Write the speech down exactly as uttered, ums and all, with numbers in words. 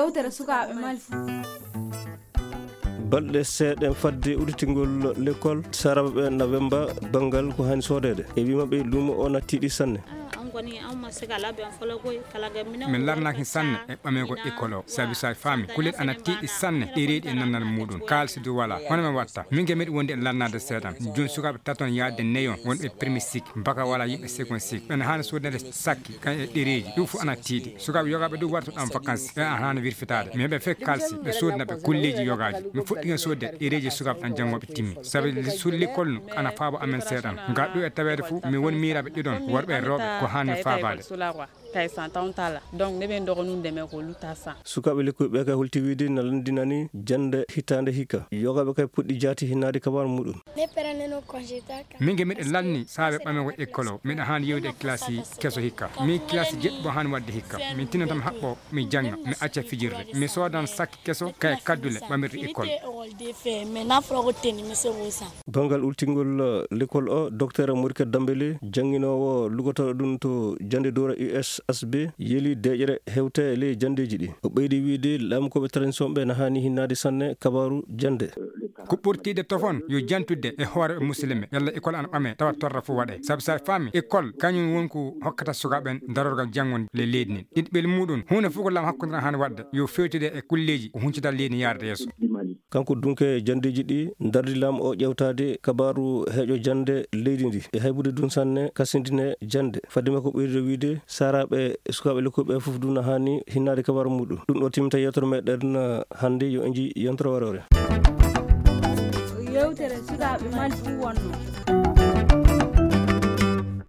Yewtere sukaaɓe Mali. Balɗe seeɗa fadde udditingol lekkol, saaraaɓe ɓe na wemba banngal ko hani soodeede. E wii maɓɓe, luumo o na tiiɗi sanne. Min larnaaki sanne e ɓameego ekkol o, sabi so a faami, kullel ana tiiɗi sanne, ɗereeji e nannal muuɗum. Kaalisi du walaa. Hono men watta? Min ke meɗi wonde e larnaade seeɗan. Jooni sukaaɓe taton yaade neyon, wonɓe premier cycle, baka walaa, yimɓe second cycle. Ɓen haani soodeede sakki, kan e ɗereeji. Ɗum fof ana tiiɗi. Sukaaɓe yogaaɓe du wartuɗo am vacances. Ɓe ana haani wirfitaade. Mi heɓa fek kaalisi, ɓe soodna ɓe kulleeji yogaaji. Mi fuɗɗike soodde ɗereeji sukaaɓe tan janngooɓe timmi. Sabi suudu lekkol no ana faabo amen seeɗan. Ngal ɗo e taweede fof, mi woni miiraaɓe ɗiɗon, worɓe e rewɓe, ko haani faabaade. Kay san tawon tala. Donc, ne ɓen ɗogo nun deme ko luta san. Sukaaɓe lekkuɓe ɓe kay holti wiide na lanndinani jannde hitaande hikka. Yogaaɓe kay puɗɗi jaati hinnaade kabaaru muɗum. Ne pere ne no congé ta ka. Min ge miɗo lanni saabe ɓame ko ekkol o. Miɗo haani yewde e kilasi keso hikka. Min kilasi jeɗɗi bo haani waɗde hikka. Min tinno tan mi haɓɓo, mi jannga, mi acca fijirde. Mi soodan sakki keso kay kaddule ɓamirɗe ekkol. Banngal ultingol, eh, lekkol o, Docteur Moriket Dambele, jannginoowo lugotooɗo ɗum to jannde Dowra U S H B, yeli deeƴere hewte e ley janndeeji ɗi. O ɓeydi wiide laamu ko ɓe transition ɓe na haani hinnaade sanne kabaaru jannde. Ko ɓurtiiɗe tofon yo jantude e hoore musilme, yalla école ana ɓame, tawa torra fof waɗe. Sabu sa faami, école kañum woni ko hokkata sukaaɓe ɓen darorgal janngo le leydi ndin. Ɗiɗi ɓel muɗum, huunde fof ko laamu hakkunde tan haani waɗde, yo fewtide e kulleeji ko huncita leydi yaarde yeeso. Kanko dunke janndeeji ɗi, dardi laamu o ƴewtaade kabaaru heeƴo jannde leydi ndi. E haybude dun sanne, kasindine jannde. Fadde makko ɓeydude wiide, saaraaɓe e sukaaɓe lekkuɓe fof dun na haani hinnaade kabaaru muɗum. Ɗum ɗo timminta yewtere meɗen hannde, yo en nji yewtere waroore. Yewtere sukaaɓe Mali ɗum wonno.